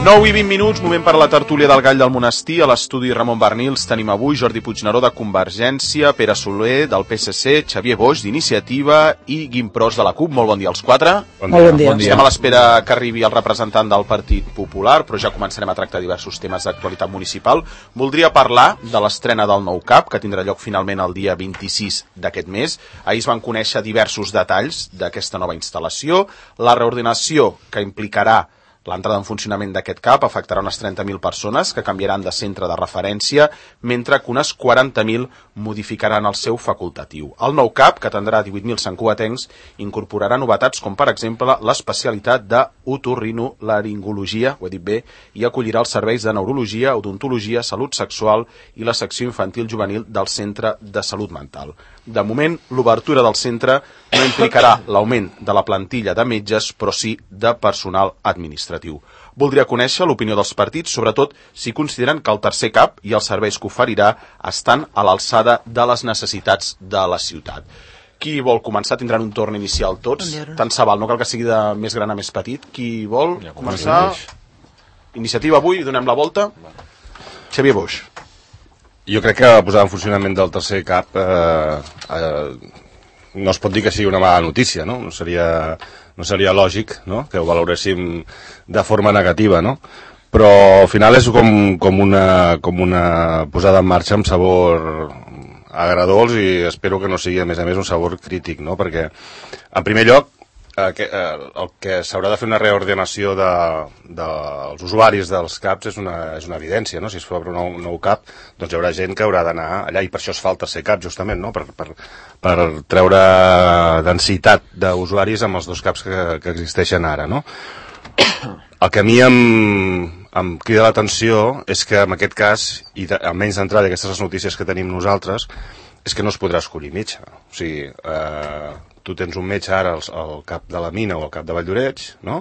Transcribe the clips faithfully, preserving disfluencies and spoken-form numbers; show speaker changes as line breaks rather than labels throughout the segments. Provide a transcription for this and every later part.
nou i vint minuts, moment per a la tertúlia del Gall del Monestir. A l'estudi Ramon Bernils tenim avui Jordi Puigneró de Convergència, Pere Soler del P S C, Xavier Boix d'Iniciativa i Guim Pros de la CUP. Molt bon dia als quatre.
Bon dia. Bon dia.
Bon dia. Estem a l'espera que arribi el representant del Partit Popular, però ja començarem a tractar diversos temes d'actualitat municipal. Voldria parlar de l'estrena del nou C A P, que tindrà lloc finalment el dia vint-i-sis d'aquest mes. Ahir es van conèixer diversos detalls d'aquesta nova instal·lació. La reordenació que implicarà l'entrada en funcionament d'aquest C A P afectarà unes trenta mil persones que canviaran de centre de referència, mentre que unes quaranta mil modificaran el seu facultatiu. El nou C A P, que atendrà divuit mil santcugatencs, incorporarà novetats com, per exemple, l'especialitat d'otorrinolaringologia, ho he dit bé, i acollirà els serveis de neurologia, odontologia, salut sexual i la secció infantil juvenil del Centre de Salut Mental. De moment, l'obertura del centre no implicarà l'augment de la plantilla de metges, però sí de personal administratiu. Voldria conèixer l'opinió dels partits, sobretot si consideren que el tercer C A P i els serveis que oferirà estan a l'alçada de les necessitats de la ciutat. Qui vol començar? Tindran un torn inicial tots. Tant se val, no cal que sigui de més gran a més petit. Qui vol començar? Iniciativa avui, donem la volta. Xavier Boix.
Jo crec que la posada en funcionament del tercer C A P eh, eh, no es pot dir que sigui una mala notícia, no? No seria, no seria lògic, no?, que ho valoréssim de forma negativa, no? Però al final és com, com, una, com una posada en marxa amb sabor agradolç i espero que no sigui, a més a més, un sabor crític, no? Perquè, en primer lloc, eh, que, eh, el que s'haurà de fer una reordenació de, de, dels usuaris dels C A Ps és una, és una evidència, no? Si es fa un nou, nou C A P, doncs hi haurà gent que haurà d'anar allà, i per això es fa el tercer C A P, justament, no?, per, per, per treure densitat d'usuaris amb els dos C A Ps que, que existeixen ara, no? El que a mi em, em crida l'atenció és que en aquest cas, i de, almenys d'entrada aquestes les notícies que tenim nosaltres, és que no es podrà escollir metge. O sigui, eh, tu tens un metge ara al, al cap de la Mina o al cap de Valldoreix, no?,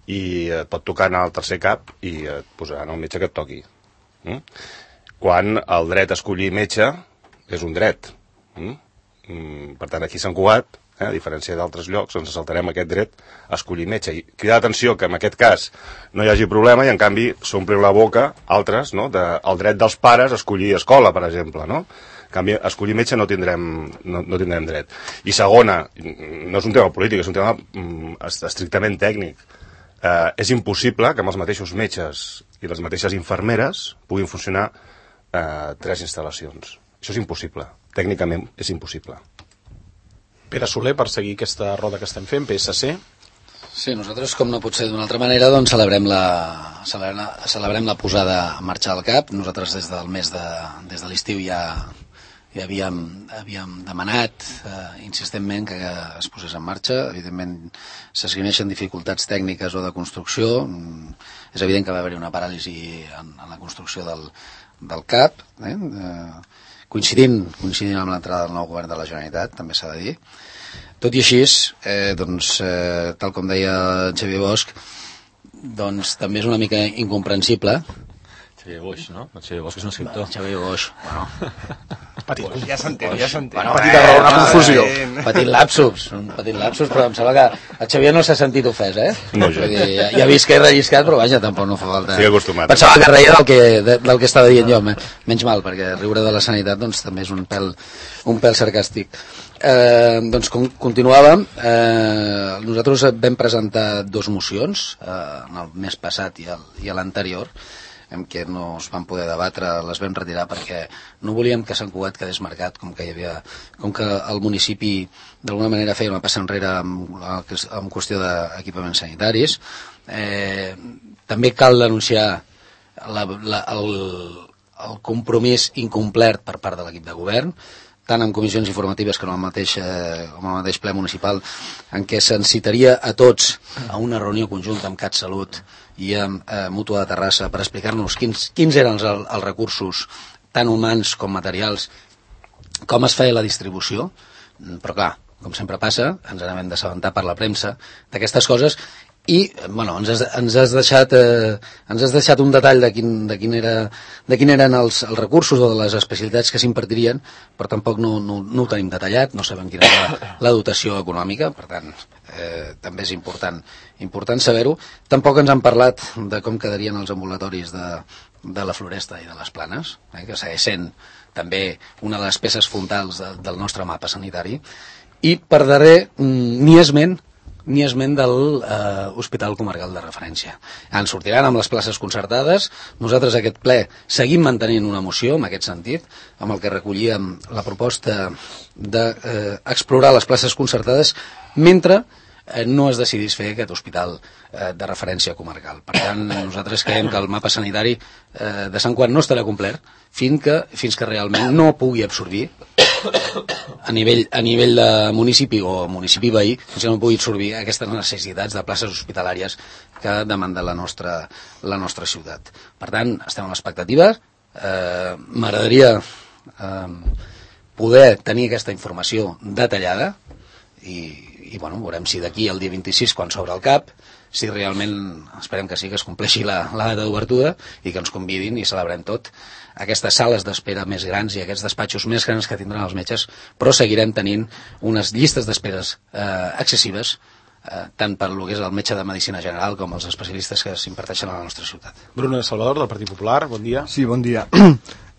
i et pot tocar anar al tercer C A P i et posaran el metge que et toqui. Mm? Quan el dret a escollir metge és un dret. Mm? Mm, per tant, aquí a Sant Cugat, eh, a diferència d'altres llocs, ens saltarem aquest dret a escollir metge. I crida l'atenció que en aquest cas no hi hagi problema i en canvi s'omplin la boca altres, no?, de, el dret dels pares a escollir escola, per exemple, no? En canvi, a escollir metge no tindrem, no, no tindrem dret. I segona, no és un tema polític, és un tema mm, estrictament tècnic. Eh, és impossible que amb els mateixos metges i les mateixes infermeres puguin funcionar eh, tres instal·lacions. Això és impossible. Tècnicament és impossible.
Pere Soler, per seguir aquesta roda que estem fent, P S C.
Sí, nosaltres, com no pot ser d'una altra manera, doncs celebrem la, celebrem, celebrem la posada en marxa del C A P. Nosaltres des del mes de, des de l'estiu ja, ja havíem, havíem demanat eh, insistentment que es posés en marxa. Evidentment s'esgrimeixen dificultats tècniques o de construcció. És evident que va haver-hi una paràlisi en, en la construcció del, del C A P, eh? Eh, coincidint, coincidint amb l'entrada del nou govern de la Generalitat, també s'ha de dir. Tot i així, eh, doncs, eh, tal com deia Xavier Bosch, doncs també és una mica incomprensible.
Xavier Boix, no? Xavier Bosch és un escriptor.
Xavier Boix, bueno.
Petit, ja s'entén, ja s'entén.
Bueno,
petita raó, una confusió.
Petit lapsus, un petit lapsus, però em sembla que el Xavier no s'ha sentit ofès, eh?
No, jo.
Ja, ja he vist que he relliscat, però vaja, tampoc no fa falta.
Estic acostumat.
Pensava que reia del que, de, del que estava dient jo, menys mal, perquè riure de la sanitat doncs també és un pèl, un pèl sarcàstic. Eh, doncs com continuàvem, eh, nosaltres vam presentar dos mocions, eh, en el mes passat i, el, i l'anterior, en què no es van poder debatre, les vam retirar perquè no volíem que Sant Cugat quedés marcat com que hi havia, com que el municipi d'alguna manera feia una passa enrere amb, amb qüestió d'equipaments sanitaris. Eh, també cal denunciar la, la, el, el compromís incomplert per part de l'equip de govern, tant en comissions informatives que en el mateix, eh, en el mateix ple municipal, en què se'ns citaria a tots a una reunió conjunta amb CatSalut i amb eh, Mútua de Terrassa per explicar-nos quins, quins eren els, els recursos, tant humans com materials, com es feia la distribució, però clar, com sempre passa, ens n'hem d'assabentar per la premsa d'aquestes coses i bueno, ens, has, ens, has deixat, eh, ens has deixat un detall de, quin, de, quin era, de quin eren els, els recursos o de les especialitats que s'impartirien, però tampoc no, no, no ho tenim detallat, no sabem quina és la, la dotació econòmica, per tant eh, també és important, important saber-ho. Tampoc ens han parlat de com quedarien els ambulatoris de, de la Floresta i de les Planes, eh, que segueix sent també una de les peces fonamentals de, del nostre mapa sanitari. I per darrer, ni esment ni esment de l'Hospital Comarcal de Referència. Ens sortiran amb les places concertades. Nosaltres aquest ple seguim mantenint una moció en aquest sentit, amb el que recollíem la proposta d'explorar eh, les places concertades mentre eh, no es decidís fer aquest hospital eh, de referència comarcal. Per tant, nosaltres creiem que el mapa sanitari eh, de Sant Quant no estarà complert fins que, fins que realment no pugui absorbir a nivell, a nivell de municipi o municipi veí, fins que no pugui absorbir aquestes necessitats de places hospitalàries que demanda la nostra, la nostra ciutat. Per tant, estem en l'expectativa. Eh, M'agradaria eh, poder tenir aquesta informació detallada i, i bueno, veurem si d'aquí al dia vint-i-sis, quan s'obre el CAP, si realment, esperem que sí, que es compleixi la, la data d'obertura i que ens convidin i celebrem tot aquestes sales d'espera més grans i aquests despatxos més grans que tindran els metges, però seguirem tenint unes llistes d'esperes eh, excessives, eh, tant per lo que és el metge de Medicina General com els especialistes que s'imparteixen a la nostra ciutat.
Bruno de Salvador, del Partit Popular, bon dia.
Sí, bon día.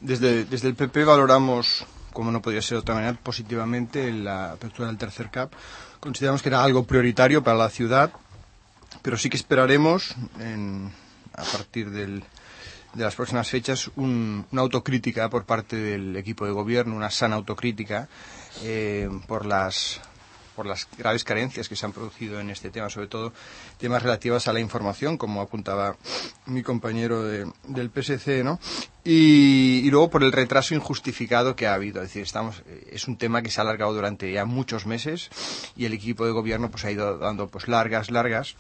Desde, desde el P P valoramos, como no podía ser de otra manera, positivamente la apertura del tercer CAP. Consideramos que era algo prioritario para la ciudad, pero sí que esperaremos, en, a partir del, de las próximas fechas, un, una autocrítica por parte del equipo de gobierno, una sana autocrítica eh, por las por las graves carencias que se han producido en este tema, sobre todo temas relativos a la información, como apuntaba mi compañero de, del P S C, ¿no? Y, y luego por el retraso injustificado que ha habido. Es decir, estamos, es un tema que se ha alargado durante ya muchos meses y el equipo de gobierno pues ha ido dando pues largas, largas.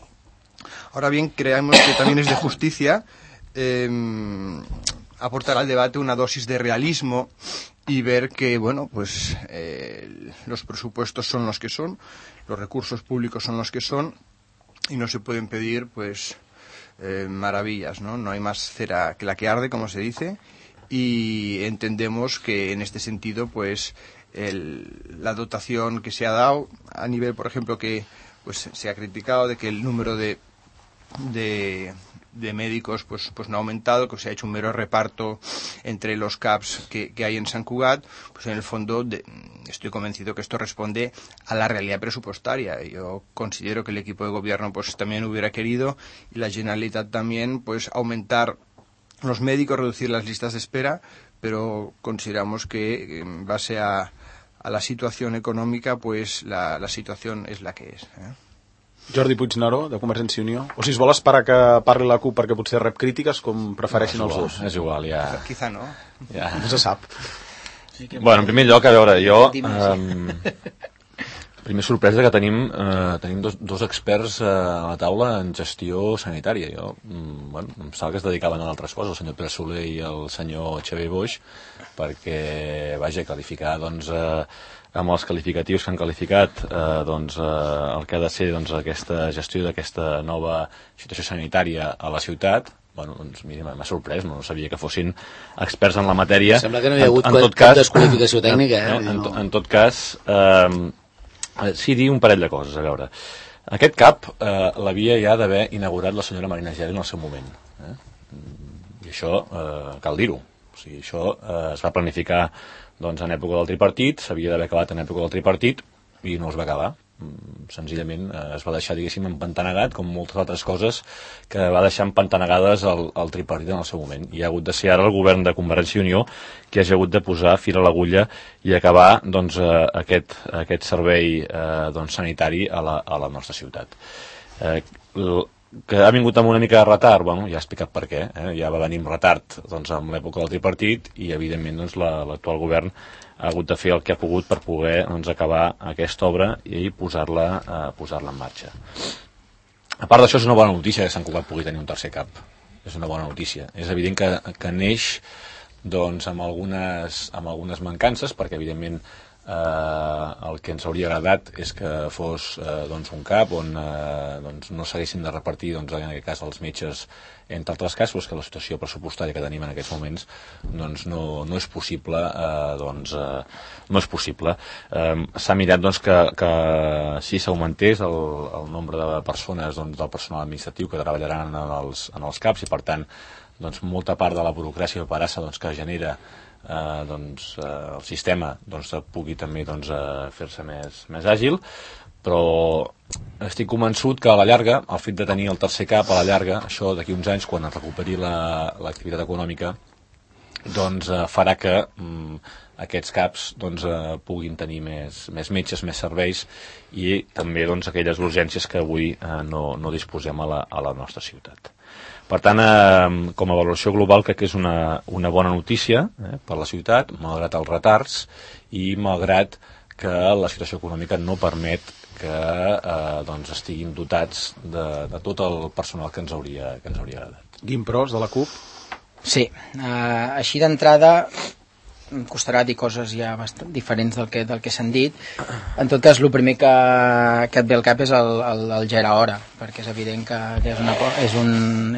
Ahora bien, creemos que también es de justicia eh, aportar al debate una dosis de realismo y ver que, bueno, pues eh, los presupuestos son los que son, los recursos públicos son los que son y no se pueden pedir, pues, eh, maravillas, ¿no? No hay más cera que la que arde, como se dice, y entendemos que en este sentido, pues, el, la dotación que se ha dado a nivel, por ejemplo, que pues se ha criticado de que el número de de, de médicos pues pues no ha aumentado, que se ha hecho un mero reparto entre los CAPs que, que hay en Sant Cugat, pues en el fondo de, estoy convencido que esto responde a la realidad presupuestaria. Yo considero que el equipo de gobierno pues también hubiera querido, y la Generalitat también, pues aumentar los médicos, reducir las listas de espera, pero consideramos que en base a a la situación econòmica, pues la, la situación és la que és. Eh?
Jordi Puigneró, de Convergència i Unió. O si es vol esperar que parli la CUP perquè potser rep crítiques, com prefereixin
no,
els dos.
És igual, ja...
Quizá no.
Ja.
No se sap.
Bueno, en primer lloc, a veure, jo... Eh, primer sorpresa que tenim, eh, tenim dos, dos experts eh, a la taula en gestió sanitària. Jo, mm, bueno, em sembla que es dedicaven a altres coses, el senyor Pere Soler i el senyor Xavier Boix, perquè, vaja, qualificar, doncs, eh, amb els qualificatius que han qualificat, eh, doncs, eh, el que ha de ser, doncs, aquesta gestió d'aquesta nova situació sanitària a la ciutat, bueno, doncs, mira, m'ha sorprès, no sabia que fossin experts en la matèria.
Sembla que no hi ha hagut en, en cap cas, desqualificació tècnica, eh?
En, en, to, en tot cas, eh, sí, dir un parell de coses, a veure. Aquest CAP eh, l'havia ja d'haver inaugurat la senyora Marina Geli en el seu moment. Eh? I això eh, cal dir-ho. O sigui, això eh, es va planificar doncs, en època del tripartit, s'havia d'haver acabat en època del tripartit i no es va acabar. Senzillament eh, es va deixar, diguéssim, empantanegat, com moltes altres coses que va deixar empantanegades el, el tripartit en el seu moment. I ha hagut de ser ara el govern de Convergència i Unió que hagi hagut de posar fil a l'agulla i acabar doncs, eh, aquest, aquest servei eh, doncs, sanitari a la, a la nostra ciutat. Eh, l, que ha vingut amb una mica de retard, bueno, ja he explicat per què, eh? Ja va venir amb retard doncs, amb l'època del tripartit i evidentment doncs, la, l'actual govern ha hagut de fer el que ha pogut per poder doncs, acabar aquesta obra i posar-la eh, posar-la en marxa. A part d'això, és una bona notícia que Sant Cugat pugui tenir un tercer CAP. És una bona notícia. És evident que, que neix doncs, amb, algunes, amb algunes mancances, perquè evidentment eh, el que ens hauria agradat és que fos eh, doncs un CAP on eh, doncs no s'haguessin de repartir, doncs, en aquest cas, els metges entre altres casos, que la situació pressupostària que tenim en aquests moments doncs no, no és possible, eh, doncs eh, no és possible. Eh, s'ha mirat doncs que, que si s'augmentés el, el nombre de persones doncs, del personal administratiu que treballaran en els, en els CAPs i per tant doncs, molta part de la burocràcia o parassa doncs, que genera eh, doncs, eh, el sistema doncs, pugui també doncs, eh, fer-se més, més àgil, però estic convençut que a la llarga, el fet de tenir el tercer CAP a la llarga, això d'aquí uns anys, quan es recuperi l'activitat la, econòmica, doncs eh, farà que mm, aquests CAPs doncs, eh, puguin tenir més, més metges, més serveis i també doncs, aquelles urgències que avui eh, no, no disposem a la, a la nostra ciutat. Per tant, eh, com a valoració global, crec que és una, una bona notícia eh, per la ciutat, malgrat els retards i malgrat que la situació econòmica no permet que eh, doncs estiguin dotats de, de tot el personal que ens hauria, que ens hauria agradat.
Guim Pros, de la CUP.
Sí, eh, així d'entrada em costarà dir coses ja bastant diferents del que, del que s'han dit. En tot cas, el primer que, que et ve al cap és el, el, el Gera Hora, perquè és evident que, que és, una, és, un,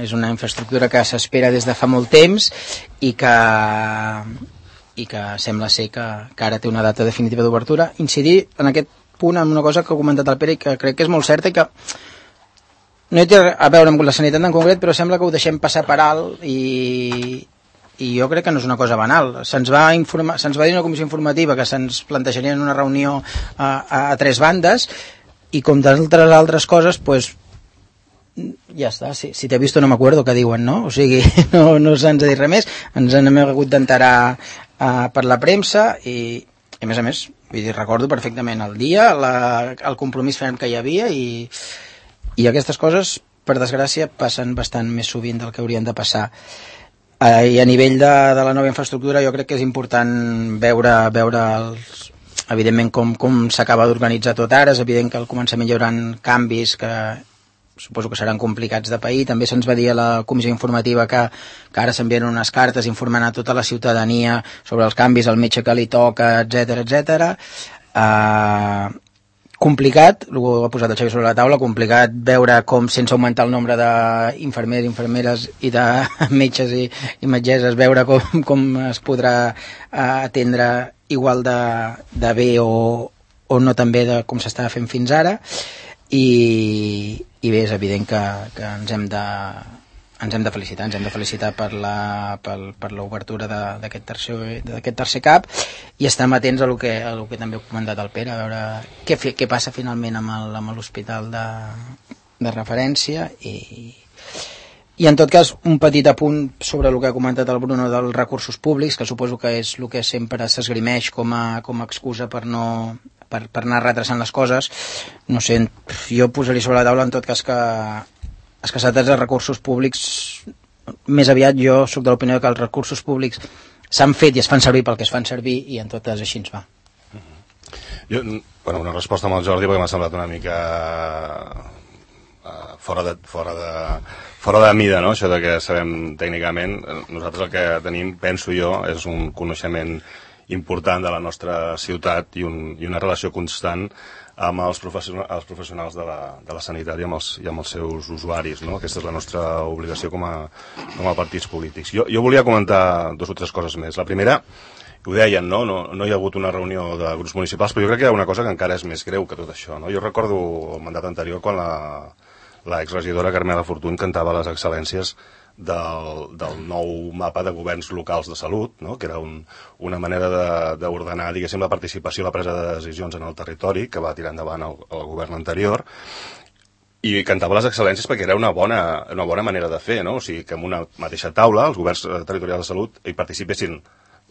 és una infraestructura que s'espera des de fa molt temps i que, i que sembla ser que, que ara té una data definitiva d'obertura. Incidir en aquest punt amb una cosa que ha comentat el Pere i que crec que és molt certa i que no hi té a veure amb la sanitat en concret, però sembla que ho deixem passar per alt i, i jo crec que no és una cosa banal. Se'ns va, informa, se'ns va dir una comissió informativa que se'ns plantejaria en una reunió a, a, a tres bandes i com d'altres altres coses, pues, ja està, si, si t'he vist no m'acuerdo que diuen, no? O sigui, no, no se'ns ha dit res més, ens n'hem hagut d'enterar uh, per la premsa i, i a més a més, vull dir, recordo perfectament el dia, la, el compromís ferm que hi havia i, i aquestes coses, per desgràcia, passen bastant més sovint del que haurien de passar. Uh, I a nivell de, de la nova infraestructura jo crec que és important veure, veure els, evidentment com, com s'acaba d'organitzar tot ara. És evident que al començament hi haurà canvis que suposo que seran complicats de pair. També se'ns va dir a la comissió informativa que, que ara s'envien unes cartes informant a tota la ciutadania sobre els canvis, el metge que li toca, etcètera, etcètera. Uh, complicat, ho ha posat el Xavi sobre la taula, complicat veure com sense augmentar el nombre d'infermers, infermeres i de metges i, i metgesses, veure com, com es podrà uh, atendre igual de, de bé o, o no tan bé de com s'estava fent fins ara. I, i bé, és evident que, que ens hem de ens hem de felicitar, ens hem de felicitar per la, per, per l'obertura d'aquest tercer, d'aquest tercer CAP i estem atents a lo que, a lo que també ha comentat el Pere, a veure què, què passa finalment amb l'hospital de, de referència i, i en tot cas un petit apunt sobre el que ha comentat el Bruno dels recursos públics, que suposo que és el que sempre s'esgrimeix com a, com a excusa per no Per, per anar retrasant les coses. No sé, jo posaria sobre la taula en tot cas que escassetats de recursos públics, més aviat jo soc de l'opinió que els recursos públics s'han fet i es fan servir pel que es fan servir i en tot cas així ens va.
Jo, bueno, una resposta amb el Jordi perquè m'ha semblat una mica uh, fora de, fora de, fora de mida, no? Això de que sabem tècnicament. Nosaltres el que tenim, penso jo, és un coneixement important de la nostra ciutat i, un, i una relació constant amb els, professionals, els professionals de la, de la sanitat i amb, els, i amb els seus usuaris, no? Aquesta és la nostra obligació com a, com a partits polítics. Jo, jo volia comentar dos o tres coses més. La primera, ho deien, no? No, no hi ha hagut una reunió de grups municipals, però jo crec que hi ha una cosa que encara és més greu que tot això, no? Jo recordo el mandat anterior quan la, la exregidora Carmela Fortuny cantava les excel·lències Del, del nou mapa de governs locals de salut, no? Que era un, una manera d'ordenar, diguéssim, la participació i la presa de decisions en el territori que va tirar endavant el, el govern anterior i cantava les excel·lències perquè era una bona, una bona manera de fer, no? O sigui, que en una mateixa taula els governs territorials de salut hi participessin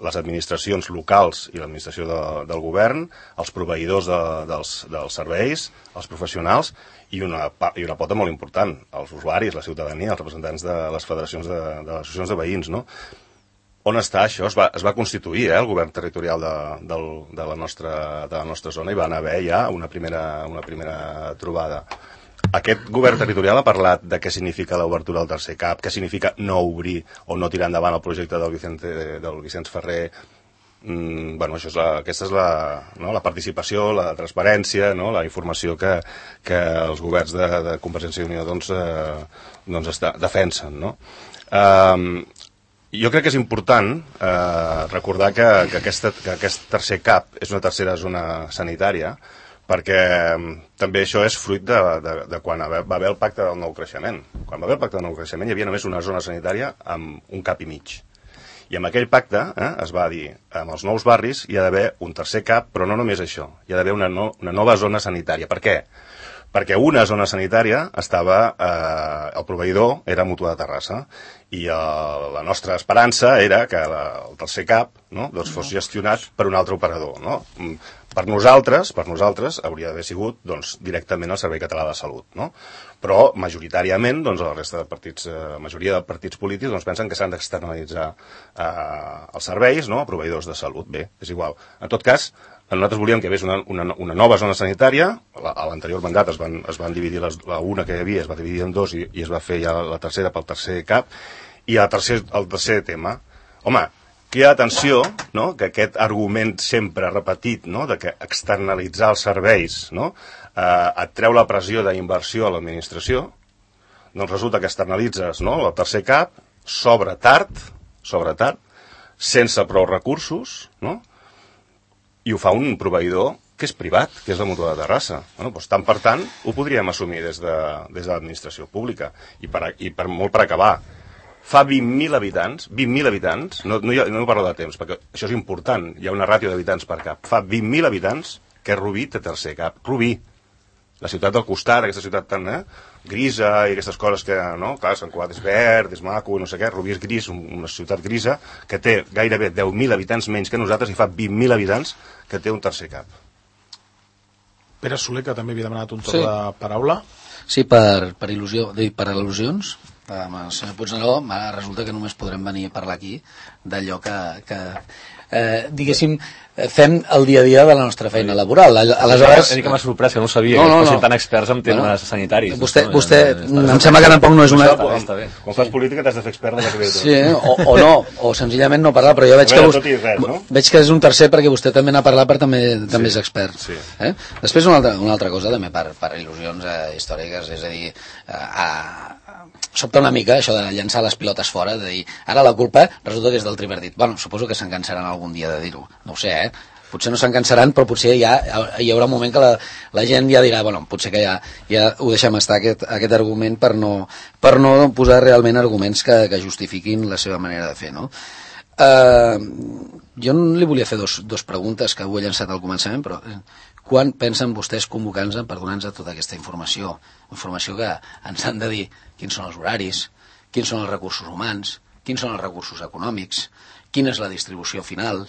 les administracions locals i l'administració de, del govern, els proveïdors de, dels, dels serveis, els professionals i una, i una pota molt important, els usuaris, la ciutadania, els representants de les federacions de, de les associacions de veïns, no? On està això? Es va, es va constituir eh, el govern territorial de, de, de, la nostra, de la nostra zona i van haver ja una primera, una primera trobada. Aquest govern territorial ha parlat de què significa l'obertura del tercer CAP, què significa no obrir o no tirar endavant el projecte del, Vicente, del Vicenç Ferrer mm, bueno, això és la, aquesta és la, no, la participació, la transparència, no, la informació que, que els governs de, de Convergència i Unió doncs, eh, doncs està, defensen, no? Eh, jo crec que és important eh, recordar que, que, aquesta, que aquest tercer CAP és una tercera zona sanitària, perquè també això és fruit de, de, de quan va haver el pacte del nou creixement. Quan va haver el pacte del nou creixement hi havia només una zona sanitària amb un cap i mig. I amb aquell pacte eh, es va dir, amb els nous barris hi ha d'haver un tercer cap, però no només això, hi ha d'haver una, no, una nova zona sanitària. Per què? Perquè una zona sanitària estava, eh, el proveïdor era Mútua de Terrassa, i eh, la nostra esperança era que la, el tercer cap, no, doncs fos gestionat per un altre operador, no? Per nosaltres, per nosaltres hauria d'haver sigut doncs, directament el Servei Català de Salut, no? Però majoritàriament doncs, la resta de partits, eh, majoria de partits polítics doncs, pensen que s'han d'externalitzar eh, els serveis, no, a proveïdors de salut. Bé, és igual. En tot cas, nosaltres volíem que hi hagués una, una, una nova zona sanitària. A l'anterior mandat es van, es van dividir les, la una que hi havia es va dividir en dos i, i es va fer ja la tercera pel tercer cap. I el tercer, el tercer tema, home, crida l'atenció, no?, que aquest argument sempre repetit, no?, de que externalitzar els serveis, no?, eh, et treu la pressió d'inversió a l'administració, doncs resulta que externalitzes, no?, el tercer cap, sobre tard, sobre tard, sense prou recursos, no?, i ho fa un proveïdor que és privat, que és la Mútua de Terrassa. Bueno, doncs, tant per tant, ho podríem assumir des de, des de l'administració pública. I, per, i per, molt per acabar, fa vint mil habitants, vint mil habitants, no, no, hi ha, no parlo de temps, perquè això és important, hi ha una ràtio d'habitants per cap, fa vint mil habitants que Rubí té tercer cap. Rubí, la ciutat del costat, aquesta ciutat tan eh, grisa i aquestes coses que, no, clar, Sant Cugat és verd, és maco, no sé què, Rubí és gris, una ciutat grisa, que té gairebé deu mil habitants menys que nosaltres i fa vint mil habitants que té un tercer cap.
Pere Soler, que també havia demanat un torn
Sí.
de paraula.
Sí, per, per, il·lusió, per al·lusions, amb el senyor Puigneró, resulta que només podrem venir a parlar aquí d'allò que, que eh, diguéssim, fem el dia a dia de la nostra feina laboral. Aleshores...
He dit que m'ha sorprès, que no ho sabia,
no, no,
que fossin
no.
tan experts en temes
bueno,
sanitaris.
Vostè,
no?
vostè
Està,
em sembla que tampoc no és una...
Això,
està bé.
Quan fas política t'has de fer expert de la
Sí, o, o no, o senzillament no parlar, però jo veig que,
tot i res, no?
veig que és un tercer perquè vostè també n'ha parlat, però també, també
Sí,
és expert.
sí.
Eh? Després una altra, una altra cosa també per, per il·lusions eh, històriques, és a dir, eh, a, sobta una mica això de llançar les pilotes fora, de dir, ara la culpa resulta que és del tripartit. Bueno, suposo que se'n cansaran algun dia de dir-ho, no ho sé, eh? Potser no se'n cansaran, però potser ja hi haurà un moment que la, la gent ja dirà, bueno, potser que ja, ja ho deixem estar, aquest, aquest argument, per no, per no posar realment arguments que, que justifiquin la seva manera de fer, no? Uh, jo li volia fer dos, dos preguntes que ho he llançat al començament, però quan pensen vostès convocant-nos per donar-nos tota aquesta informació? Informació que ens han de dir quins són els horaris, quins són els recursos humans, quins són els recursos econòmics, quina és la distribució final,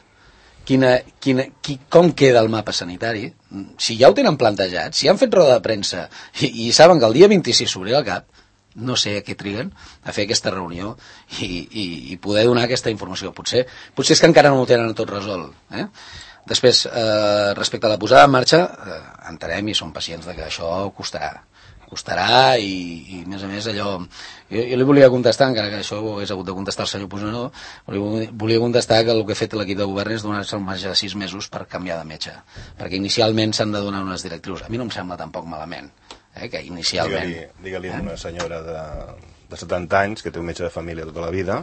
quina, quina, qui, com queda el mapa sanitari. Si ja ho tenen plantejat, si han fet roda de premsa i, i saben que el dia vint-i-sis s'obrirà el cap, no sé a què triguen a fer aquesta reunió i, i, i poder donar aquesta informació. Potser, potser és que encara no ho tenen tot resolt. Eh? Després, eh, respecte a la posada en marxa, eh, entenem i som pacients de que això costarà. Costarà i, i a més a més, allò... Jo, jo li volia contestar, encara que això ho hagués hagut de contestar el senyor Puigneró, volia, volia contestar que el que ha fet l'equip de govern és donar-se el marge de sis mesos per canviar de metge, perquè inicialment s'han de donar unes directrius. A mi no em sembla tampoc malament, eh, que inicialment...
Digue-li, digue-li a una senyora de, de setanta anys, que té un metge de família tota la vida,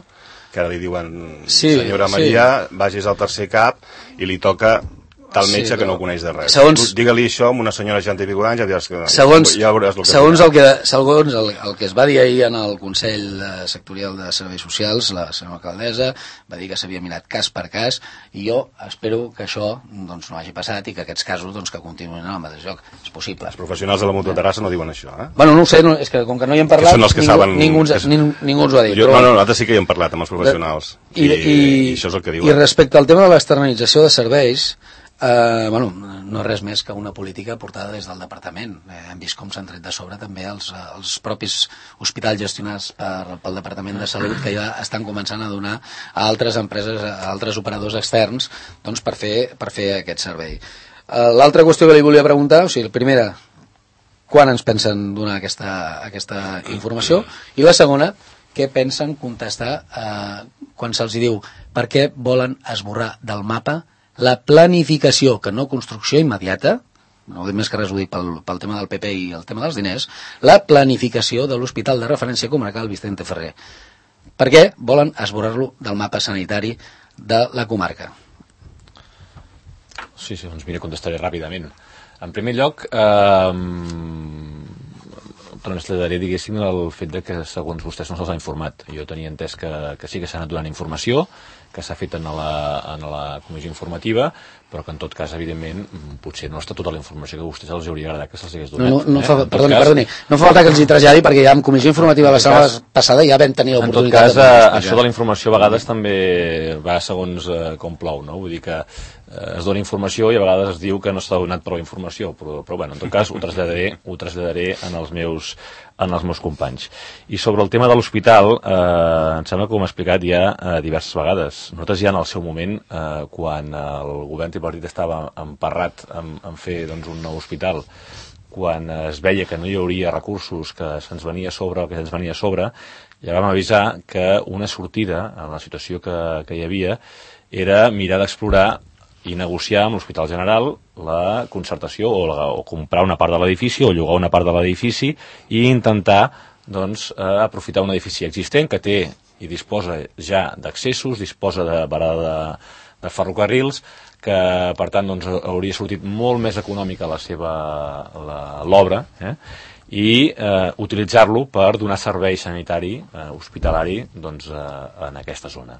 que ara li diuen,
sí,
senyora
sí.
Maria, vagis al tercer cap i li toca tal metge
Sí,
que no
però-
coneix de res.
segons-
Tu digue-li això amb una senyora de seixanta i pico d'anys, ja diràs que...
Segons,
ja veuràs el que
segons,
dirà.
el que, segons el, el que es va dir ahir en el Consell eh, Sectorial de Serveis Socials, la senyora alcaldessa va dir que s'havia mirat cas per cas, i jo espero que això doncs, no hagi passat i que aquests casos doncs, que continuïn en el mateix lloc. És possible.
Els professionals de la Mútua de Terrassa no diuen això, eh?
Bueno, no ho sé, no, és que com que no hi hem parlat,
Que són els que
ningú,
saben-
ningú, ens,
és-
ningú, ningú ens ho ha dit.
Jo,
però,
no, no, nosaltres sí que hi hem parlat amb els professionals.
I,
I,
i,
i això és el que diuen.
I respecte al tema de l'externalització de serveis, eh, bueno, no és res més que una política portada des del departament. Eh, hem vist com s'han tret de sobre també els, els propis hospitals gestionats per, pel Departament de Salut, que ja estan començant a donar a altres empreses, a altres operadors externs, doncs, per fer, per fer aquest servei. Eh, L'altra qüestió que li volia preguntar, o sigui, la primera, quan ens pensen donar aquesta, aquesta informació? I la segona, què pensen contestar eh, quan se'ls diu per què volen esborrar del mapa la planificació, que no construcció immediata, no dic més que res ho dic pel, pel tema del P P i el tema dels diners, la planificació de l'Hospital de Referència Comarcal Vicente Ferrer. Per què volen esborrar-lo del mapa sanitari de la comarca?
Sí, sí, doncs mira, contestaré ràpidament. En primer lloc, eh, traslladaré, diguéssim, el fet de que segons vostès no se'ls ha informat. Jo tenia entès que, que sí que s'ha anat donant informació, que s'ha fet en la, en la comissió informativa, però que en tot cas, evidentment, potser no està tota la informació que a vostès els hauria agradat que se'ls hagués donat.
No, no, no
eh?
fa, perdoni, cas, perdoni, no fa falta que els hi traslladi, perquè ja en comissió informativa la setmana passada ja vam tenir l'oportunitat.
En tot cas, això de la informació a vegades també va segons eh, com plou, no? Vull dir que eh, es dona informació i a vegades es diu que no s'ha donat prou informació, però, però bueno, en tot cas ho traslladaré, ho traslladaré en els meus en els meus companys. I sobre el tema de l'hospital, eh, em sembla que ho hem explicat ja eh, diverses vegades. Nosaltres ja en el seu moment, eh, quan el govern tripartit estava emparrat en, en fer doncs, un nou hospital, quan es veia que no hi hauria recursos, que se'ns venia a sobre el que se'ns venia a sobre, ja vam avisar que una sortida en la situació que, que hi havia era mirar d'explorar i negociar amb l'Hospital General la concertació o, la, o comprar una part de l'edifici o llogar una part de l'edifici i intentar doncs, eh, aprofitar un edifici existent que té i disposa ja d'accessos, disposa de barada de, de ferrocarrils, que per tant doncs, hauria sortit molt més econòmica la seva l'obra, eh? i eh, utilitzar-lo per donar servei sanitari, eh, hospitalari, doncs, eh, en aquesta zona.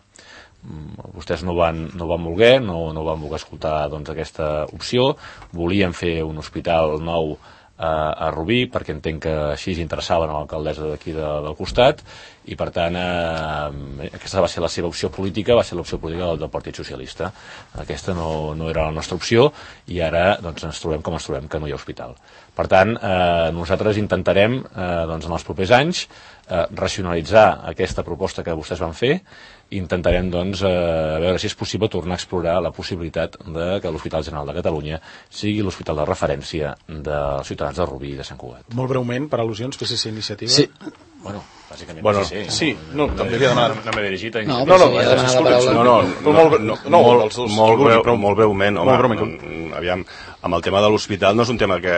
Vostès no van, no van voler, no, no van voler escoltar doncs, aquesta opció, volien fer un hospital nou eh, a Rubí, perquè entenc que així interessaven a l'alcaldessa d'aquí de, del costat, i per tant eh, aquesta va ser la seva opció política, va ser l'opció política del, del Partit Socialista. Aquesta no, no era la nostra opció, i ara doncs, ens trobem com ens trobem, que no hi ha hospital. Per tant, eh, nosaltres intentarem eh, doncs, en els propers anys eh, racionalitzar aquesta proposta que vostès van fer. Intentarem doncs, eh, veure si és possible tornar a explorar la possibilitat de que l'Hospital General de Catalunya sigui l'hospital de referència dels ciutadans de Rubí i de Sant Cugat.
Molt breument, per al·lusions, P S C Iniciativa.
Sí.
Bueno, bàsicament
bueno,
P S C.
sí, no,
no,
també havia demanat...
No m'he dirigit a
No,
No, no,
sí, ha demanat la paraula.
No, no, no,
molt,
no,
no,
molt,
els dos,
molt, breu,
però,
molt breument, home,
molt breument.
mm, aviam, amb el tema de l'hospital no és un tema que...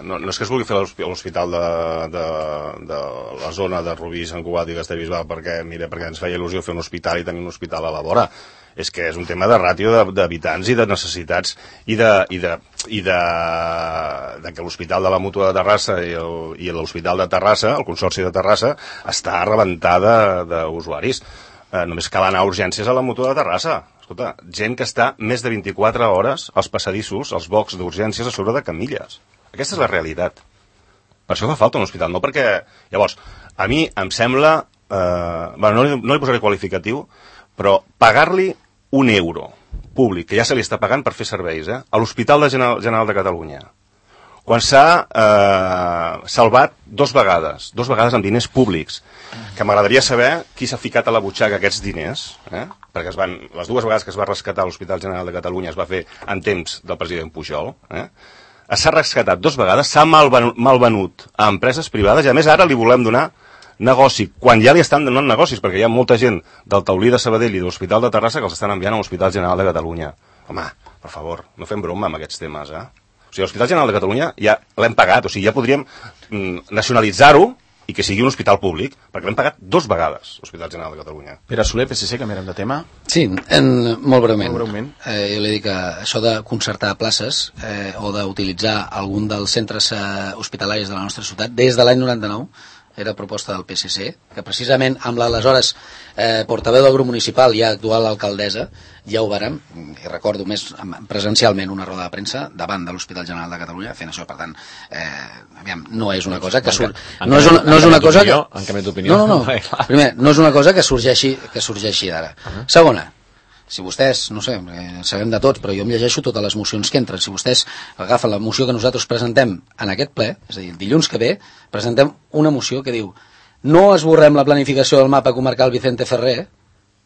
No, no és que es vulgui fer l'hospital de, de, de la zona de Rubí, Sant Cugat i Castellbisbal perquè, mira, perquè ens feia il·lusió fer un hospital i tenir un hospital a la vora. És que és un tema de ràtio d'habitants i de necessitats i de, i de, i de, de que l'Hospital de la Mútua de Terrassa i el- i l'Hospital de Terrassa, el Consorci de Terrassa, està rebentada d'usuaris. Eh, només cal anar a urgències a la Mútua de Terrassa. Escolta, gent que està més de vint-i-quatre hores als passadissos, als bocs d'urgències a sobre de camilles. Aquesta és la realitat. Per això fa falta un hospital, no perquè... Llavors, a mi em sembla... Eh, bueno, no, li, no li posaré qualificatiu, però pagar-li un euro públic, que ja se li està pagant per fer serveis, eh, a l'Hospital de General, General de Catalunya, quan s'ha eh, salvat dos vegades, dos vegades amb diners públics, que m'agradaria saber qui s'ha ficat a la butxaca aquests diners, eh, perquè es van, les dues vegades que es va rescatar l'Hospital General de Catalunya es va fer en temps del president Pujol, eh, s'ha rescatat dos vegades, s'ha malvenut, malvenut a empreses privades i a més ara li volem donar negoci, quan ja li estan donant negocis, perquè hi ha molta gent del Taulí de Sabadell i de l'Hospital de Terrassa que els estan enviant a l'Hospital General de Catalunya. Home, per favor, no fem broma amb aquests temes, eh? O sigui, l'Hospital General de Catalunya ja l'hem pagat, o sigui, ja podríem mm, nacionalitzar-ho i que sigui un hospital públic, perquè l'hem pagat dos vegades, l'Hospital General de Catalunya.
Pere Soler, P S C, canviarem de tema.
Sí, en, molt breument.
Molt breument.
Eh, jo li dic que això de concertar places eh, o d'utilitzar algun dels centres eh, hospitalaris de la nostra ciutat, des de l'any noranta-nou, era proposta del P S C, que precisament amb l'aleshores eh, portaveu del grup municipal i actual alcaldessa ja ho vàrem, i recordo més presencialment una roda de premsa davant de l'Hospital General de Catalunya fent això, per tant eh, aviam, no és una cosa que surt no és una, no és una cosa que
en canvi d'opinió
no, no, no. Primer, no és una cosa que sorgeixi que sorgeixi d'ara. Uh-huh. Segona, si vostès, no sé, eh, sabem de tots, però jo em llegeixo totes les mocions que entren. Si vostès agafen la moció que nosaltres presentem en aquest ple, és a dir, dilluns que ve, presentem una moció que diu no esborrem la planificació del mapa comarcal Vicente Ferrer,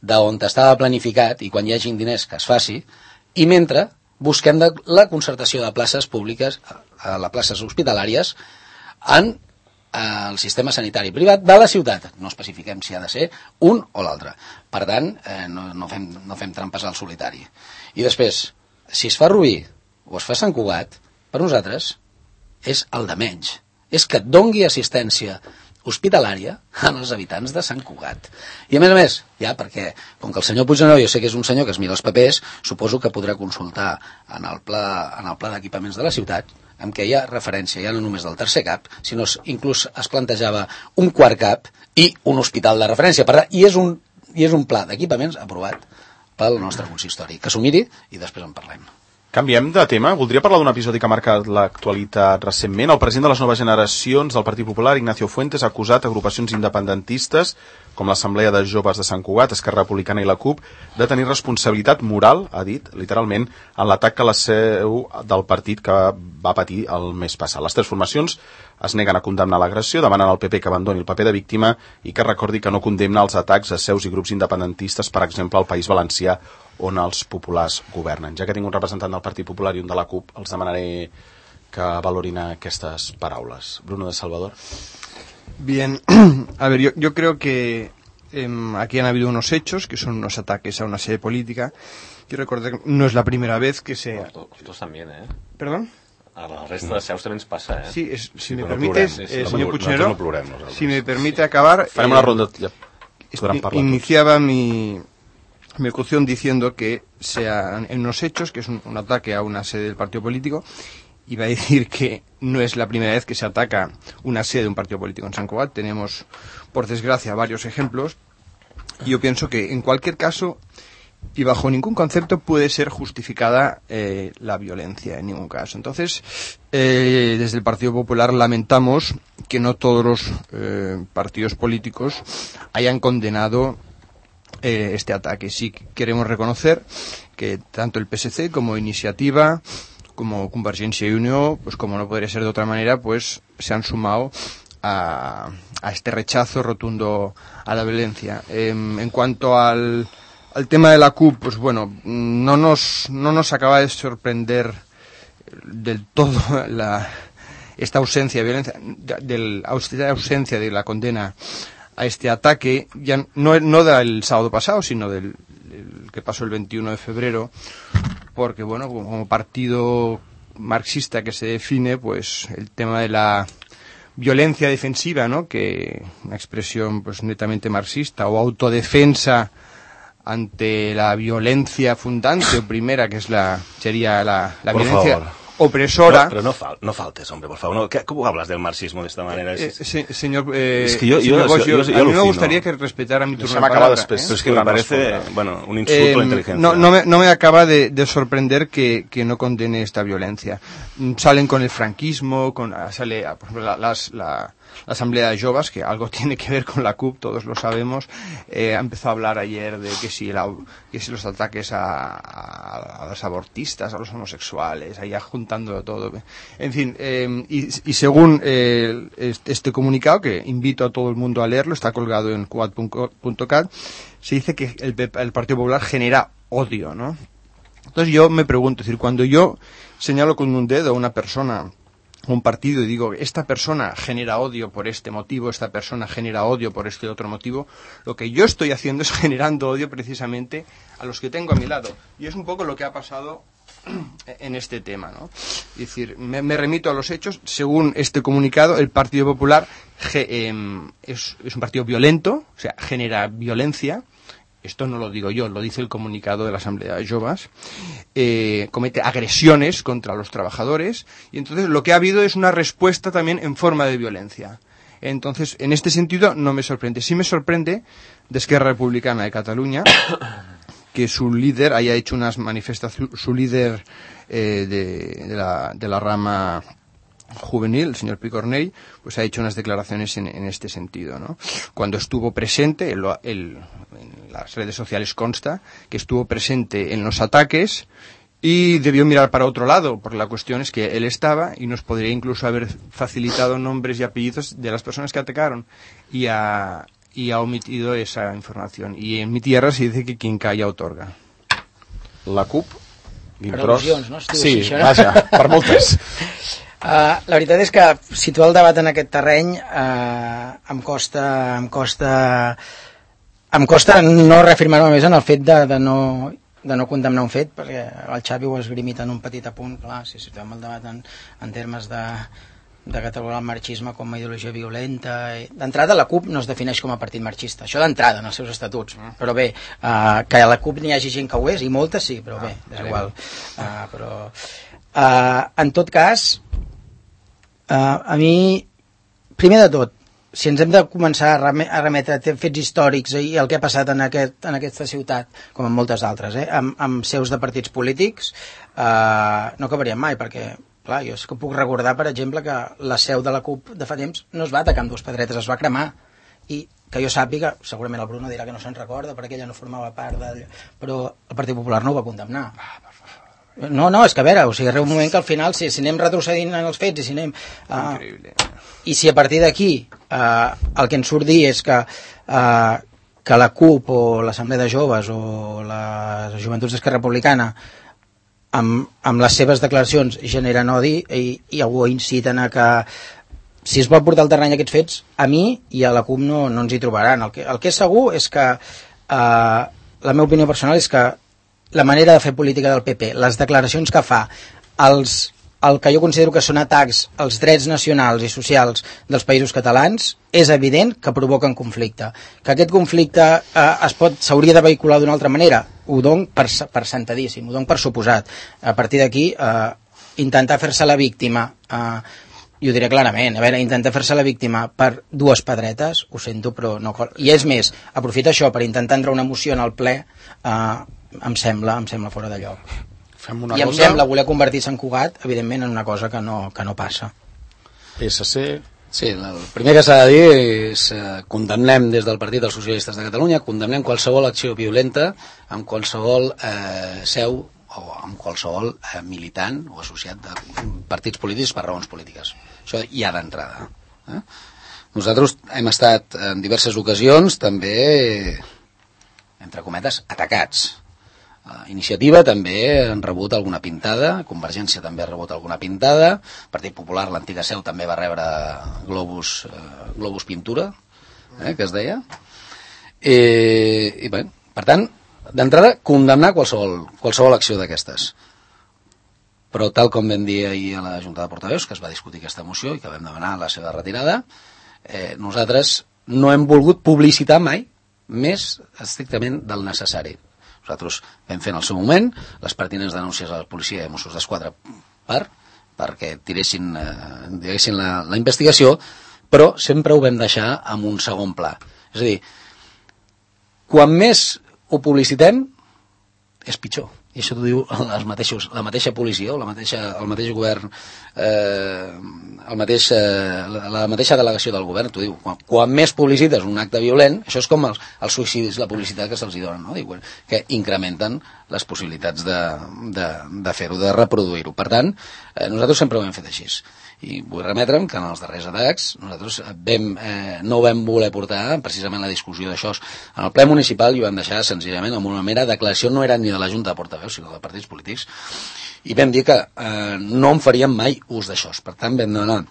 d'on estava planificat, i quan hi hagin diners que es faci, i mentre busquem de la concertació de places públiques, a les places hospitalàries, en al sistema sanitari privat de la ciutat. No especifiquem si ha de ser un o l'altre. Per tant, eh, no, no, fem, no fem trampes al solitari. I després, si es fa Rubí o es fa Sant Cugat, per nosaltres és el de menys. És que et dongui assistència hospitalària als habitants de Sant Cugat. I a més a més, ja perquè, com que el senyor Puigneró jo sé que és un senyor que es mira els papers, suposo que podrà consultar en el pla, en el pla d'equipaments de la ciutat, en què hi ha referència ja no només del tercer cap, sinó inclús es plantejava un quart cap i un hospital de referència. Per tant, i és un, i és un pla d'equipaments aprovat pel nostre consistori. Que s'ho miri i després en parlem.
Canviem de tema. Voldria parlar d'un episodi que ha marcat l'actualitat recentment. El president de les noves generacions del Partit Popular, Ignacio Fuentes, ha acusat agrupacions independentistes, com l'Assemblea de Joves de Sant Cugat, Esquerra Republicana i la CUP, de tenir responsabilitat moral, ha dit, literalment, en l'atac a la seu del partit que va patir el mes passat. Les tres formacions es neguen a condemnar l'agressió, demanen al P P que abandoni el paper de víctima i que recordi que no condemna els atacs a seus i grups independentistes, per exemple, al País Valencià, on els populars governen. Ja que tinc un representant del Partit Popular i un de la CUP, els demanaré que valorin aquestes paraules. Bruno de Salvador.
Bien, a ver, yo, yo creo que eh, aquí han habido unos hechos que son unos ataques a una sede política. Quiero recordar que no es la primera vez que se...
Nosotros también, ¿eh?
¿Perdón?
A la resta de seus també ens passa, eh?
Sí, es, si
sí,
me
no
permites,
plorem,
eh,
no
señor
plorem,
Puigneró,
no plorem,
si me permite acabar...
Farem
eh,
una ronda... Ja. Podran parlar
iniciaba mi, mi locución diciendo que sean en unos hechos, que es un, un ataque a una sede del partido político. Iba a decir que no es la primera vez que se ataca una sede de un partido político en Sant Cugat. Tenemos, por desgracia, varios ejemplos. Y yo pienso que, en cualquier caso, y bajo ningún concepto, puede ser justificada eh, la violencia, en ningún caso. Entonces, eh, desde el Partido Popular lamentamos que no todos los eh, partidos políticos hayan condenado eh, este ataque. Sí queremos reconocer que tanto el P S C como Iniciativa, como Convergencia y Unió, pues como no podría ser de otra manera, pues se han sumado a, a este rechazo rotundo a la violencia. Eh, en cuanto al, al tema de la CUP, pues bueno, no nos, no nos acaba de sorprender del todo la, esta ausencia de violencia, de, de, esta ausencia de la condena a este ataque, ya no, no del sábado pasado, sino del, del que pasó el veintiuno de febrero, porque bueno, como partido marxista que se define, pues el tema de la violencia defensiva, ¿no?, que una expresión pues netamente marxista, o autodefensa ante la violencia fundante o primera, que es la sería la, la violencia
favor.
opresora.
No, pero no, fal no faltes, hombre, por favor. No, ¿qué, ¿Cómo hablas del marxismo de esta manera?
Eh, eh, se, señor, eh,
es que yo,
señor
yo,
Bosch,
yo, yo, yo
a mí me
alucino.
gustaría que respetara mi turno
Se
de
me acaba
palabra,
después,
¿eh?
Pero es que me parece, bueno, un insulto
Eh,
a la inteligencia.
no, no, me, no me acaba de, de sorprender que, que no condene esta violencia. Mm, Salen con el franquismo, con sale, por ejemplo, la, las, la, la Asamblea de Joves, que algo tiene que ver con la CUP, todos lo sabemos. Eh, ha empezado a hablar ayer de que si, la, que si los ataques a, a, a los abortistas, a los homosexuales, allá juntando todo. En fin, eh, y, y según eh, este comunicado, que invito a todo el mundo a leerlo, está colgado en cuat punto cat, se dice que el, el Partido Popular genera odio, ¿no? Entonces yo me pregunto, es decir, cuando yo señalo con un dedo a una persona, un partido, y digo, esta persona genera odio por este motivo, esta persona genera odio por este otro motivo, lo que yo estoy haciendo es generando odio precisamente a los que tengo a mi lado. Y es un poco lo que ha pasado en este tema, ¿no? Es decir, me, me remito a los hechos. Según este comunicado, el Partido Popular ge, eh, es, es un partido violento, o sea, genera violencia. Esto no lo digo yo, lo dice el comunicado de la Asamblea de Joves. Eh, comete agresiones contra los trabajadores, y entonces lo que ha habido es una respuesta también en forma de violencia. Entonces, en este sentido, no me sorprende. Sí me sorprende de Esquerra Republicana de Cataluña que su líder haya hecho unas manifestaciones, su líder eh, de, de, la, de la rama juvenil, el señor Picornell, pues ha hecho unas declaraciones en, en este sentido, ¿no? Cuando estuvo presente, él, él, en las redes sociales consta que estuvo presente en los ataques y debió mirar para otro lado, porque la cuestión es que él estaba y nos podría incluso haber facilitado nombres y apellidos de las personas que atacaron, y a y ha omitido esa información. Y en mi tierra se dice que quien calla otorga.
La CUP,
Per al·lusions, no?
Sí, vaja, per moltes.
Uh, la veritat és que situar el debat en aquest terreny uh, em costa em costa em costa no reafirmar-me més en el fet de, de, no, de no condemnar un fet, perquè el Xavi ho ha esgrimit en un petit apunt. Clar, si situem el debat en, en termes de, de catalogar el marxisme com a ideologia violenta, d'entrada la CUP no es defineix com a partit marxista, això d'entrada en els seus estatuts, però bé, uh, que a la CUP n'hi hagi gent que ho és, i molta sí, però bé, és igual. Uh, però uh, en tot cas, Uh, a mi, primer de tot, si ens hem de començar a, rem a remetre a fets històrics i el que ha passat en, aquest, en aquesta ciutat, com en moltes altres, eh, amb, amb seus de partits polítics, uh, no acabaríem mai, perquè, clar, jo és que puc recordar, per exemple, que la seu de la CUP de fa temps no es va atacar amb dues pedretes, es va cremar, i que jo sàpiga, segurament el Bruno dirà que no se'n recorda perquè ella no formava part d'allò, però el Partit Popular no ho va condemnar. No, no, és que a veure, o sigui, arriba un moment que al final, si, si anem retrocedint en els fets i si anem... Uh, i si a partir d'aquí uh, el que ens surt dir és que, uh, que la CUP o l'Assemblea de Joves o la Joventuts d'Esquerra Republicana amb, amb les seves declaracions generen odi i, i algú inciten a que si es vol portar al terreny aquests fets, a mi i a la CUP no, no ens hi trobaran. El que, el que és segur és que uh, la meva opinió personal és que la manera de fer política del P P, les declaracions que fa, els, el que jo considero que són atacs als drets nacionals i socials dels països catalans, és evident que provoquen conflicte. Que aquest conflicte eh, es pot s'hauria de vehicular d'una altra manera, ho dono per, per sentadíssim, ho dono per suposat. A partir d'aquí, eh, intentar fer-se la víctima, eh, i ho diré clarament, a veure, intentar fer-se la víctima per dues pedretes, ho sento, però no... I és més, aprofita això per intentar entrar una moció en el ple, eh, em sembla, em sembla fora de lloc.
Fem una
I em
cosa...
sembla voler convertir-se en Cugat, evidentment, en una cosa que no, que no passa.
P S C...
Sí, el primer que s'ha de dir és eh, condemnem des del Partit dels Socialistes de Catalunya, condemnem qualsevol acció violenta amb qualsevol eh, seu o amb qualsevol eh, militant o associat de partits polítics per raons polítiques. Això ja d'entrada. Eh? Nosaltres hem estat en diverses ocasions també, entre cometes, atacats. Uh, Iniciativa també han rebut alguna pintada, Convergència també ha rebut alguna pintada, Partit Popular, l'antiga seu, també va rebre globus, uh, globus pintura, eh, que es deia. I, i bé, per tant, d'entrada, condemnar qualsevol, qualsevol acció d'aquestes. Però tal com vam dir ahir a la Junta de Portaveus, que es va discutir aquesta moció i que vam demanar la seva retirada, eh, nosaltres no hem volgut publicitar mai més estrictament del necessari. Nosaltres vam fer en el seu moment les pertinents denúncies a la policia i a Mossos d'Esquadra per, perquè tiressin, eh, tiressin la, la investigació, però sempre ho vam deixar en un segon pla. És a dir, quan més ho publicitem, és pitjor. I això t'ho diu els mateixos, la mateixa policia o la mateixa, el mateix govern, eh, el mateix, eh, la, la mateixa delegació del govern, t'ho diu. Quan, quan més publicites un acte violent, això és com els, els suïcidis, la publicitat que se'ls donen, no? Diu, que incrementen les possibilitats de, de, de fer-ho, de reproduir-ho. Per tant, eh, nosaltres sempre ho hem fet així. I vull remetre'm que en els darrers atacs nosaltres vam, eh, no vam voler portar precisament la discussió d'això en el ple municipal i ho vam deixar senzillament amb una mera declaració, no era ni de la Junta de Portaveus sinó de partits polítics, i vam dir que eh, no en faríem mai ús d'això. Per tant vam demanar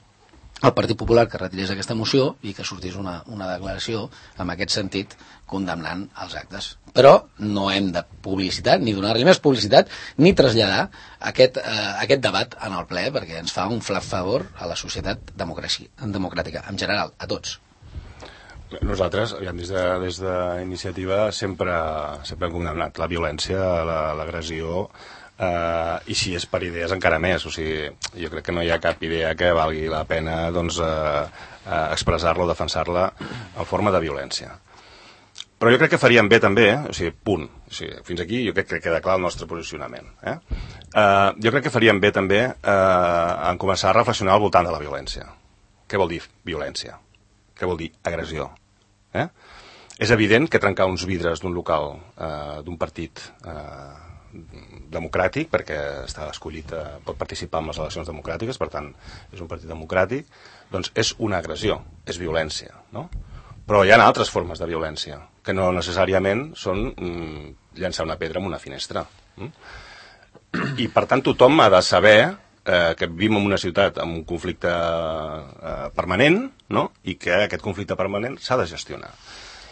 al Partit Popular que retirés aquesta moció i que sortís una, una declaració en aquest sentit condemnant els actes. Però no hem de publicitar, ni donar-li més publicitat, ni traslladar aquest, eh, aquest debat en el ple, perquè ens fa un flac favor a la societat democràtica, en general, a tots.
Nosaltres, des de, des d'iniciativa, sempre, sempre hem condemnat la violència, l'agressió, Uh, i si és per idees encara més, o sigui, jo crec que no hi ha cap idea que valgui la pena doncs, uh, uh, expressar-la o defensar-la en forma de violència. Però jo crec que faríem bé també, eh? O sigui, punt, o sigui, fins aquí jo crec que queda clar el nostre posicionament. Eh? Uh, jo crec que faríem bé també uh, en començar a reflexionar al voltant de la violència. Què vol dir violència? Què vol dir agressió? Eh? És evident que trencar uns vidres d'un local, uh, d'un partit uh, democràtic, perquè està escollit, eh, pot participar en les eleccions democràtiques, per tant és un partit democràtic, doncs és una agressió, és violència, no? Però hi ha altres formes de violència que no necessàriament són mm, llançar una pedra en una finestra, mm? I per tant tothom ha de saber eh, que vivim en una ciutat amb un conflicte eh, permanent, no? I que aquest conflicte permanent s'ha de gestionar.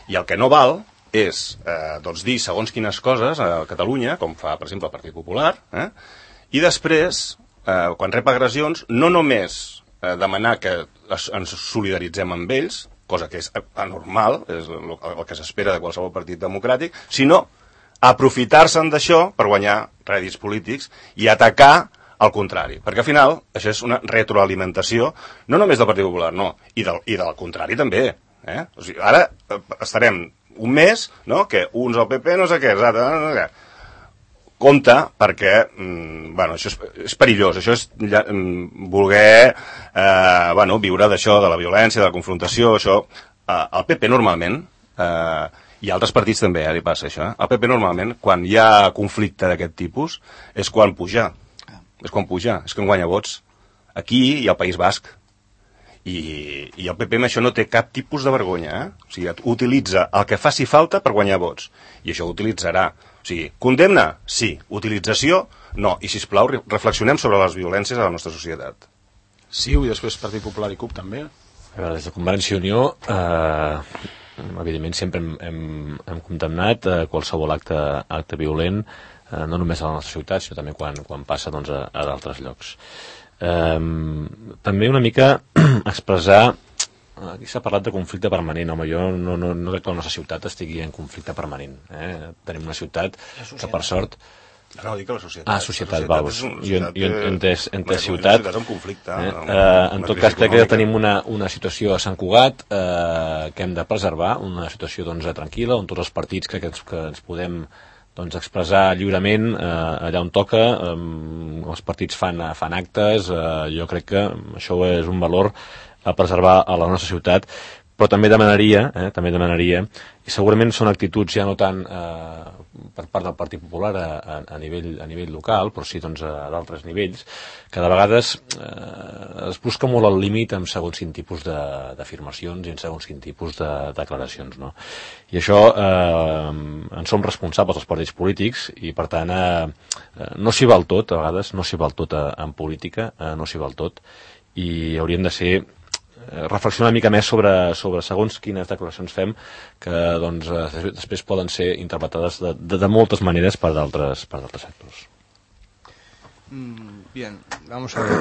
I el que no val és eh, doncs dir segons quines coses a Catalunya, com fa, per exemple, el Partit Popular, eh? I després, eh, quan rep agressions, no només eh, demanar que es, ens solidaritzem amb ells, cosa que és anormal, és el, el que s'espera de qualsevol partit democràtic, sinó aprofitar-se'n d'això per guanyar rèdits polítics i atacar al contrari, perquè al final això és una retroalimentació no només del Partit Popular, no, i del, i del contrari també. Eh? O sigui, ara estarem un mes, no?, que uns al P P no sé què, no sé què. Compte, perquè mm, bueno, això és, és perillós, això és ja, mm, voler eh, bueno, viure d'això, de la violència, de la confrontació, això. Eh, el P P normalment, eh, i altres partits també, eh, li passa això, eh? El P P normalment, quan hi ha conflicte d'aquest tipus, és quan puja, és quan puja, és quan guanya vots. Aquí i al País Basc. I, i el P P amb això no té cap tipus de vergonya, eh? O sigui, utilitza el que faci falta per guanyar vots, i això ho utilitzarà. O sigui, condemna? Sí. Utilització? No. I, sisplau, reflexionem sobre les violències a la nostra societat.
Sí, i després Partit Popular i CUP també.
A veure, des de Convergència i Unió, eh, evidentment sempre hem, hem, hem condemnat eh, qualsevol acte, acte violent, eh, no només a la nostra ciutat, sinó també quan, quan passa doncs, a, a d'altres llocs. Eh, també una mica expressar, aquí s'ha parlat de conflicte permanent, home, jo no, no, no crec que la nostra ciutat estigui en conflicte permanent, eh? Tenim una ciutat que per sort...
No, no, dic que la societat.
Ah, societat, val. Jo he entès ciutat.
Una conflicte.
Eh? Eh, en tot cas, crec que tenim una, una situació a Sant Cugat eh, que hem de preservar, una situació doncs, tranquil·la, on tots els partits crec que ens, que ens podem doncs, expressar lliurement eh, allà on toca, eh, els partits fan, fan actes, eh, jo crec que això és un valor a preservar a la nostra ciutat, però també demanaria, eh, també demanaria, i segurament són actituds ja no tant eh, per part del Partit Popular a, a, a, nivell, a nivell local, però sí doncs, a d'altres nivells, que de vegades eh, es busca molt el límit en segons quin tipus d'afirmacions i en segons quin tipus de declaracions, no? I això eh, en som responsables els partits polítics i per tant eh, no s'hi val tot, a vegades no s'hi val tot a, en política, eh, no s'hi val tot, i hauríem de ser reflexionar una mica més sobre, sobre segons quines declaracions fem que doncs, després poden ser interpretades de, de, de moltes maneres per d'altres per d'altres sectors.
Mm, bien, vamos a ver.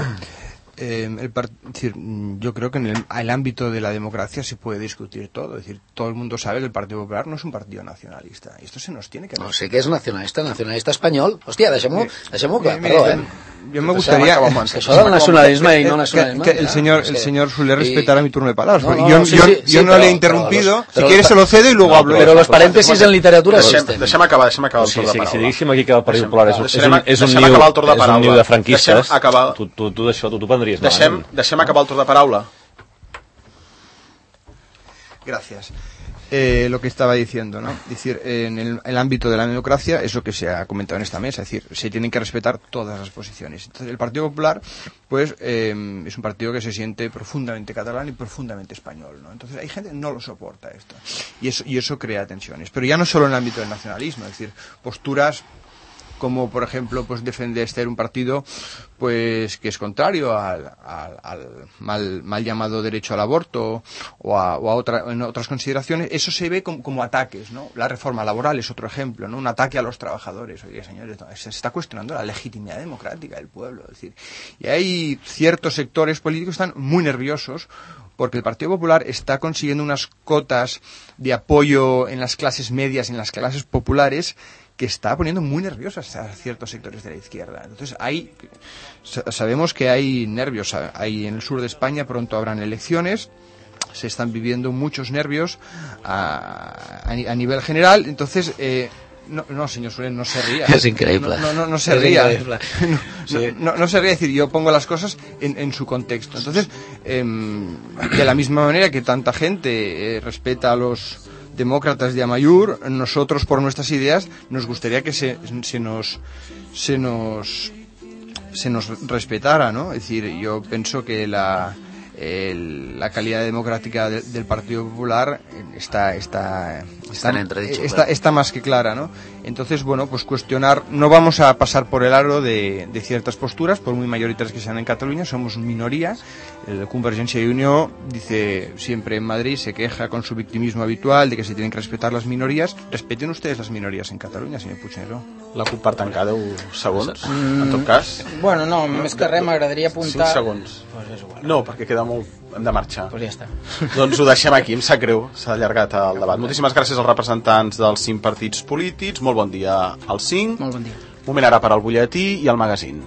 Eh, el part... es decir, yo creo que en el, el ámbito de la democracia se puede discutir todo. Es decir, todo el mundo sabe que el Partido Popular no es un partido nacionalista. Y esto se nos tiene que...
No sé què és nacionalista, nacionalista espanyol. Hòstia, deixem-ho deixem clar,
mire,
perdó, eh?
Yo me gustaría
que això del nacionalisme i no nacionalisme
que, que el señor el señor suele respetar a mi turno de palabras.
No, no,
yo
no, sí,
yo,
sí,
yo
sí,
no
pero,
le he interrumpido.
Pero, pero,
si quieres se lo cedo y luego
no,
hablo.
Però los parèntesis en literatura
deixem,
existen.
deixem acabar, deixem acabar el
Sí,
torn de
sí,
paraula.
si diguéssim aquí que el Partit Popular és, un- és,
Deixem-
un, és, un
deixem
niu,
acabar el torn de
és un niu
paraula.
de franquistes,
Deixem acabar-
tu, tu, tu d'això tu, tu prendries
Deixem,
malament.
deixem acabar el torn de paraula.
Gracias. Eh, lo que estaba diciendo, ¿no? Es decir, en el, el ámbito de la democracia, eso que se ha comentado en esta mesa, es decir, se tienen que respetar todas las posiciones. Entonces, el Partido Popular, pues, eh, es un partido que se siente profundamente catalán y profundamente español, ¿no? Entonces, hay gente que no lo soporta esto. Y eso, y eso crea tensiones. Pero ya no solo en el ámbito del nacionalismo, es decir, posturas como por ejemplo pues defender ser un partido pues que es contrario al, al, al mal, mal llamado derecho al aborto o a, o a otra, en otras consideraciones, eso se ve como, como ataques, ¿no? La reforma laboral es otro ejemplo, ¿no? Un ataque a los trabajadores. Oye, señores, se está cuestionando la legitimidad democrática del pueblo, es decir, y hay ciertos sectores políticos que están muy nerviosos porque el Partido Popular está consiguiendo unas cotas de apoyo en las clases medias, en las clases populares, que está poniendo muy nerviosas a ciertos sectores de la izquierda. Entonces, hay, sabemos que hay nervios. Hay en el sur de España pronto habrán elecciones. Se están viviendo muchos nervios a, a, a nivel general. Entonces, eh, no, no, señor Soler, no se ría.
Es increíble.
No, no, no, no se ría. No, sí. no, no se ría. Es decir, yo pongo las cosas en, en su contexto. Entonces, eh, de la misma manera que tanta gente eh, respeta a los demócratas de Amaiur, nosotros por nuestras ideas nos gustaría que se, se nos se nos se nos respetara, ¿no? Es decir, yo pienso que la el, la calidad democrática de, del Partido Popular está está
Está, entredicho,
está, está más que clara, ¿no? Entonces, bueno, pues cuestionar, no vamos a pasar por el aro de, de ciertas posturas, por muy mayoritarias que sean en Cataluña, somos minoría. El Convergencia y Unió dice siempre en Madrid, se queja con su victimismo habitual de que se tienen que respetar las minorías. Respeten ustedes las minorías en Cataluña, señor Puigneró.
La CUP per tancar deu segons, mm, en tot cas.
Bueno, no, no més que res m'agradaria apuntar...
cinc segons.
Pues és igual.
No, perquè queda molt... Hem de marxar.
Pues ja està.
Doncs ho deixem aquí, em sap greu, s'ha allargat el debat. Moltíssimes gràcies als representants dels cinc partits polítics, molt bon dia als cinc.
Molt bon dia.
Moment ara per al butlletí i el magazín.